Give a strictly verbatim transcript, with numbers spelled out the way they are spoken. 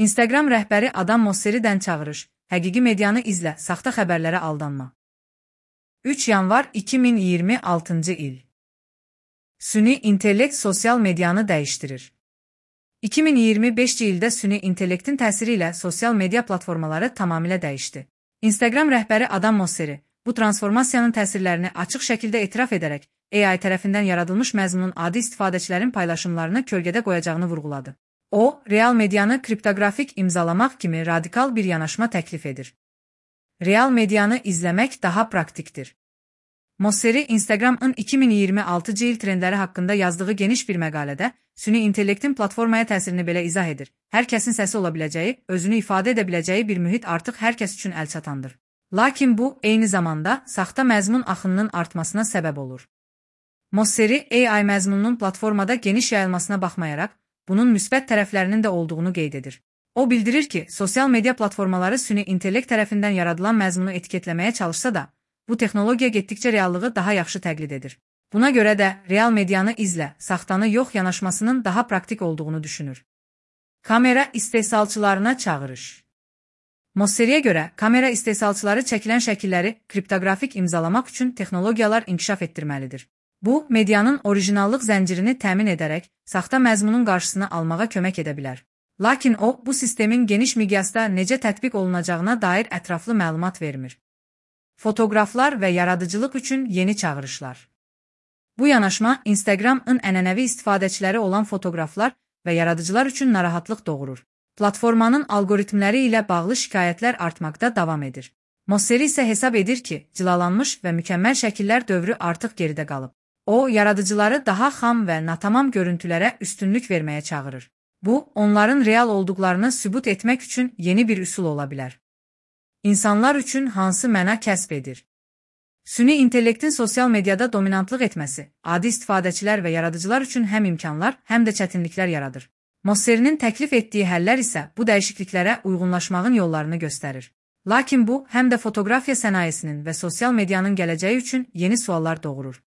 Instagram rəhbəri Adam Mosseridən çağırış, həqiqi medianı izlə, saxta xəbərlərə aldanma. üç yanvar iki min iyirmi altıncı il. Süni intellekt sosial medianı dəyişdirir. iki min iyirmi beşinci ildə süni intellektin təsiri ilə sosial media platformaları tamamilə dəyişdi. Instagram rəhbəri Adam Mosseri bu transformasiyanın təsirlərini açıq şəkildə etiraf edərək, A I tərəfindən yaradılmış məzmunun adi istifadəçilərin paylaşımlarını kölgədə qoyacağını vurğuladı. O, real medianı kriptografik imzalamaq kimi radikal bir yanaşma təklif edir. Real medianı izləmək daha praktikdir. Mosseri, Instagram'ın iki min iyirmi altıncı il trendləri haqqında yazdığı geniş bir məqalədə, süni intellektin platformaya təsirini belə izah edir. Hər kəsin səsi ola biləcəyi, özünü ifadə edə biləcəyi bir mühit artıq hər kəs üçün əlçatandır. Lakin bu, eyni zamanda, saxta məzmun axınının artmasına səbəb olur. Mosseri, A I məzmununun platformada geniş yayılmasına baxmayaraq, bunun müsbət tərəflərinin də olduğunu qeyd edir. O bildirir ki, sosial media platformaları süni intellekt tərəfindən yaradılan məzmunu etiketləməyə çalışsa da, bu texnologiya getdikcə reallığı daha yaxşı təqlid edir. Buna görə də real medianı izlə, saxtanı yox yanaşmasının daha praktik olduğunu düşünür. Kamera istehsalçılarına çağırış. Mosseriyə görə, kamera istehsalçıları çəkilən şəkilləri kriptografik imzalamaq üçün texnologiyalar inkişaf etdirməlidir. Bu, medianın orijinallıq zəncirini təmin edərək, saxta məzmunun qarşısını almağa kömək edə bilər. Lakin o, bu sistemin geniş miqyasda necə tətbiq olunacağına dair ətraflı məlumat vermir. Fotoqraflar və yaradıcılıq üçün yeni çağırışlar. Bu yanaşma, Instagram'ın ənənəvi istifadəçiləri olan fotoqraflar və yaradıcılar üçün narahatlıq doğurur. Platformanın algoritmləri ilə bağlı şikayətlər artmaqda davam edir. Mosseri isə hesab edir ki, cilalanmış və mükəmməl şəkillər dövrü artıq geridə qalıb. O, yaradıcıları daha xam və natamam görüntülərə üstünlük verməyə çağırır. Bu, onların real olduqlarını sübut etmək üçün yeni bir üsul ola bilər. İnsanlar üçün hansı məna kəsb edir? Süni intellektin sosial mediada dominantlıq etməsi, adi istifadəçilər və yaradıcılar üçün həm imkanlar, həm də çətinliklər yaradır. Mosserinin təklif etdiyi həllər isə bu dəyişikliklərə uyğunlaşmağın yollarını göstərir. Lakin bu, həm də fotoqrafiya sənayesinin və sosial medianın gələcəyi üçün yeni suallar doğurur.